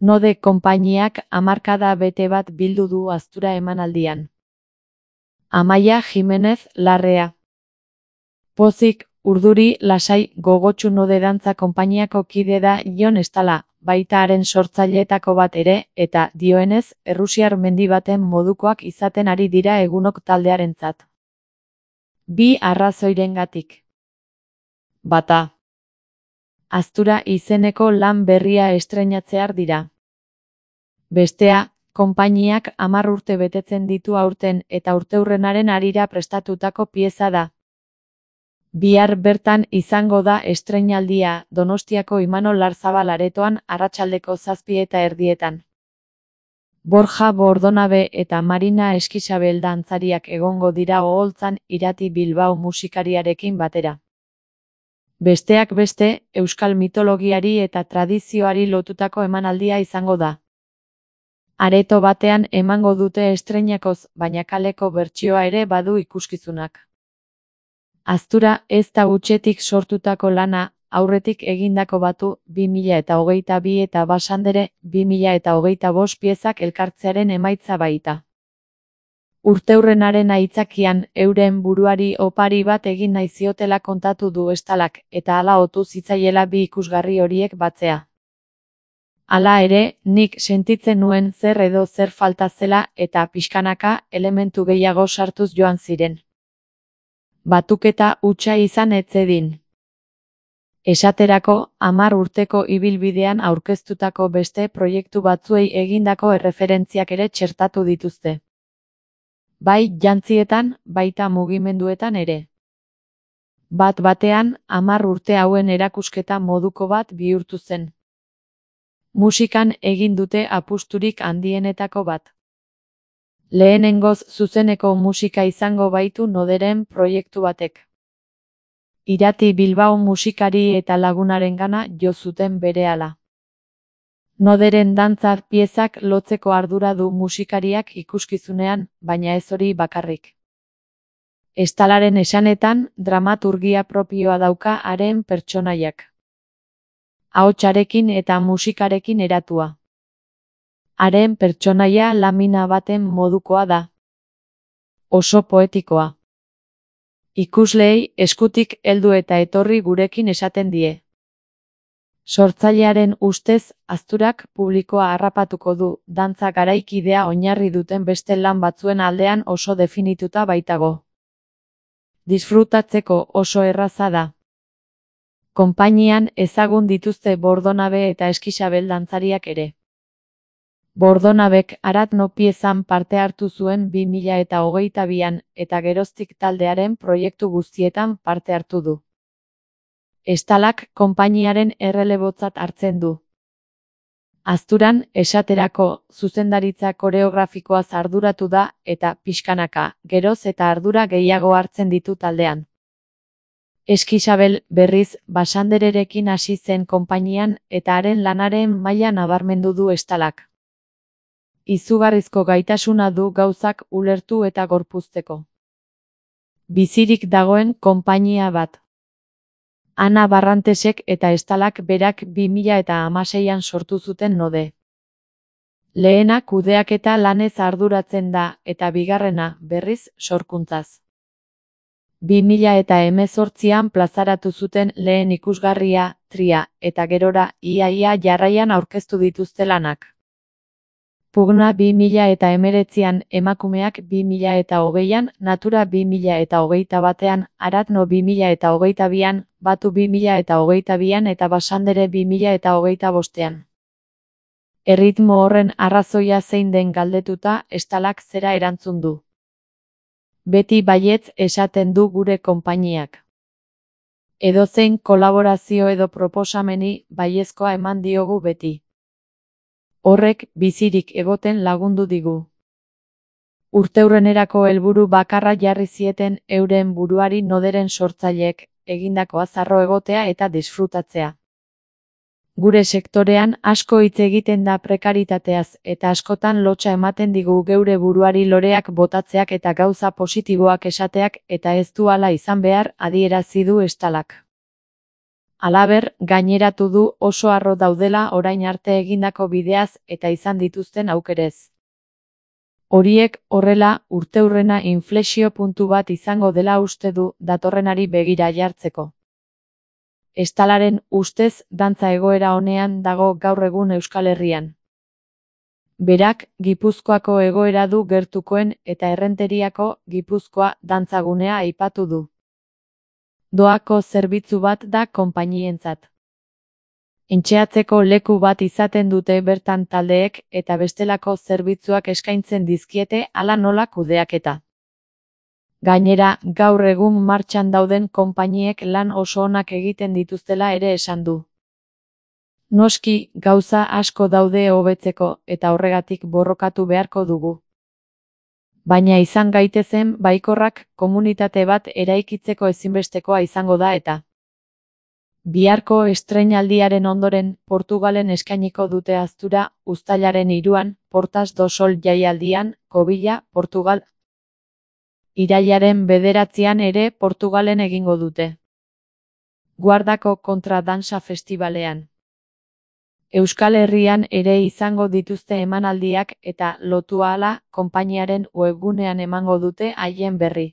Node konpainiak hamarkada bete bat bildu du Aztura emanaldian. Amaia Jimenez Larrea. Pozik, urduri, lasai, gogotsu Node dantza konpainiako kide da Jon Estala, baita haren sortzaileetako bat ere, eta, dioenez, errusiar mendi baten modukoak izaten ari dira egunok taldearentzat. Bi arrazoirengatik. Bata. Aztura izeneko lan berria estreinatzear dira. Bestea, konpainiak 10 urte betetzen ditu aurten eta urteurrenaren harira prestatutako pieza da. Bihar bertan izango da estreinaldia Donostiako Imanol Larzabal aretoan arratsaldeko 7:30. Borja Bordonabe eta Marina Eskixabel dantzariak egongo dira oholtzan Irati Bilbao musikariarekin batera. Besteak beste, euskal mitologiari eta tradizioari lotutako emanaldia izango da. Areto batean emango dute estreinakoz, baina kaleko bertsioa ere badu ikuskizunak. Aztura ez da hutsetik sortutako lana, aurretik egindako batu 2022 eta Basandere 2025 piezak elkartzearen emaitza baita. Urteurrenaren aitzakian euren buruari opari bat egin nahi ziotela kontatu du Estalak, eta hala otu zitzaiela bi ikusgarri horiek batzea. Hala ere, nik sentitzen nuen zer edo zer falta zela eta pixkanaka elementu gehiago sartuz joan ziren. Batuketa hutsa izan ez zedin. Esaterako, 10 urteko ibilbidean aurkeztutako beste proiektu batzuei egindako erreferentziak ere txertatu dituzte. Bai jantzietan, baita mugimenduetan ere. Bat-batean, 10 urte hauen erakusketa moduko bat bihurtu zen. Musikan egin dute apusturik handienetako bat. Lehenengoz zuzeneko musika izango baitu Noderen proiektu batek. Irati Bilbao musikari eta lagunarengana jo zuten berehala. Noderen dantza piezak lotzeko ardura du musikariak ikuskizunean, baina ez hori bakarrik. Estalaren esanetan, dramaturgia propioa dauka haren pertsonaiak. Ahotsarekin eta musikarekin eratua. Haren pertsonaia lamina baten modukoa da. Oso poetikoa. Ikusleei eskutik heldu eta etorri gurekin esaten die. Sortzailearen ustez, Azturak publikoa harrapatuko du, dantza garaikidea oinarri duten beste lan batzuen aldean oso definituta baitago. Disfrutatzeko oso erraza da. Konpainian ezagun dituzte Bordonabe eta Eskixabel dantzariak ere. Bordonabek Aratno piezan parte hartu zuen 2022an eta geroztik taldearen proiektu guztietan parte hartu du. Estalak konpainiaren errelebotzat hartzen du. Azturan, esaterako, zuzendaritza koreografikoaz arduratu da eta pixkanaka, geroz eta ardura gehiago hartzen ditu taldean. Eskixabel, berriz, Basandererekin hasi zen konpainian eta haren lanaren maila nabarmendu du Estalak. Izugarrizko gaitasuna du gauzak ulertu eta gorpuzteko. Bizirik dagoen konpainia bat. Ana Barrantesek eta Estalak berak 2016an sortu zuten Node. Lehena kudeaketa lanez arduratzen da eta bigarrena, berriz, sorkuntzaz. 2018an plazaratu zuten lehen ikusgarria, Tria, eta gerora, ia jarraian aurkeztu dituzte lanak. Pugna 2019an, Emakumeak 2020an, Natura 2021an, Aratno 2022an, Batu 2022an eta Basandere 2025an. Erritmo horren arrazoia zein den galdetuta, Estalak zera erantzun du. Beti baietz esaten du gure konpainiak. Edozein kolaborazio edo proposameni baiezkoa eman diogu beti. Horrek bizirik egoten lagundu digu. Urteurrenerako helburu bakarra jarri zieten euren buruari Noderen sortzaileek, egindakoa zarro egotea eta disfrutatzea. Gure sektorean asko hitz egiten da prekaritateaz eta askotan lotsa ematen digu geure buruari loreak botatzeak eta gauza positiboak esateak eta ez du hala izan behar adierazi du Estalak. Halaber, gaineratu du oso harro daudela orain arte egindako bideaz eta izan dituzten aukerez. Horiek horrela, urteurrena inflexio puntu bat izango dela uste du datorrenari begira jartzeko. Estalaren ustez dantza egoera onean dago gaur egun Euskal Herrian. Berak, Gipuzkoako egoera du gertukoen eta Errenteriako Gipuzkoa dantzagunea aipatu du. Doako zerbitzu bat da konpainientzat. Entxeatzeko leku bat izaten dute bertan taldeek eta bestelako zerbitzuak eskaintzen dizkiete hala nola kudeaketa. Gainera, gaur egun martxan dauden konpainiek lan oso onak egiten dituztela ere esan du. Noski, gauza asko daude hobetzeko eta horregatik borrokatu beharko dugu. Baina izan gaitezen baikorrak komunitate bat eraikitzeko ezinbestekoa izango da eta. Biharko estreinaldiaren ondoren, Portugalen eskainiko dute aztura, uztailaren 3an, Portas do Sol jaialdian, Kobila, Portugal. Irailaren 9an ere Portugalen egingo dute. Guardako kontra dansa festivalean. Euskal Herrian ere izango dituzte emanaldiak eta lotu ahala konpainiaren webgunean emango dute haien berri.